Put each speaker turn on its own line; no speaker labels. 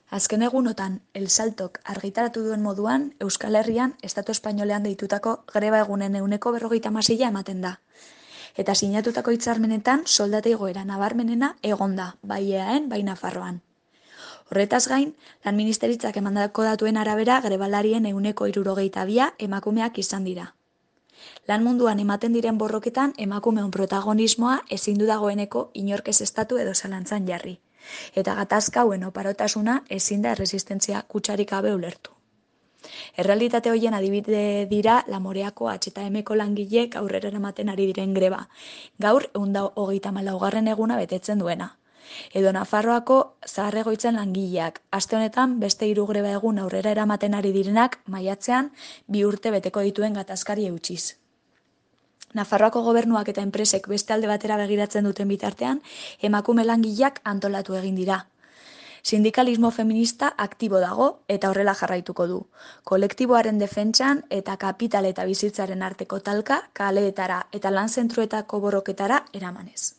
Azken egunotan, El Saltok argitaratu duen moduan, Euskal Herrian, Estatu Espainolean deitutako greba egunen 56% ematen da. Eta sinatutako hitzarmenetan soldata igoera nabarmenena egon da, bai Eaen, bai Nafarroan. Horretaz gain, lan ministeritzak emandako datuen arabera grebalarien 62% emakumeak izan dira. Lan munduan ematen diren borroketan emakumeon protagonismoa ezin du dagoeneko inork ez estatu edo zalantzan jarri. Eta gatazka hauen oparotasuna ezin da erresistentzia kutsarik gabe ulertu. Errealitate horien adibide dira Lamoreako H&Mko langileek aurrera eramaten ari diren greba, gaur 134. eguna betetzen duena. Edo Nafarroako Zahar-Egoitzen langileak, aste honetan beste 3 greba egun aurrera eramaten ari direnak maiatzean 2 urte beteko dituen gatazkari eutsiz. Nafarroako gobernuak eta enpresek beste alde batera begiratzen duten bitartean, emakume langileak antolatu egin dira. Sindikalismo feminista aktibo dago eta horrela jarraituko du. Kolektiboaren defentsan eta kapital eta bizitzaren arteko talka, kaleetara eta lan zentruetako borroketara eramanez.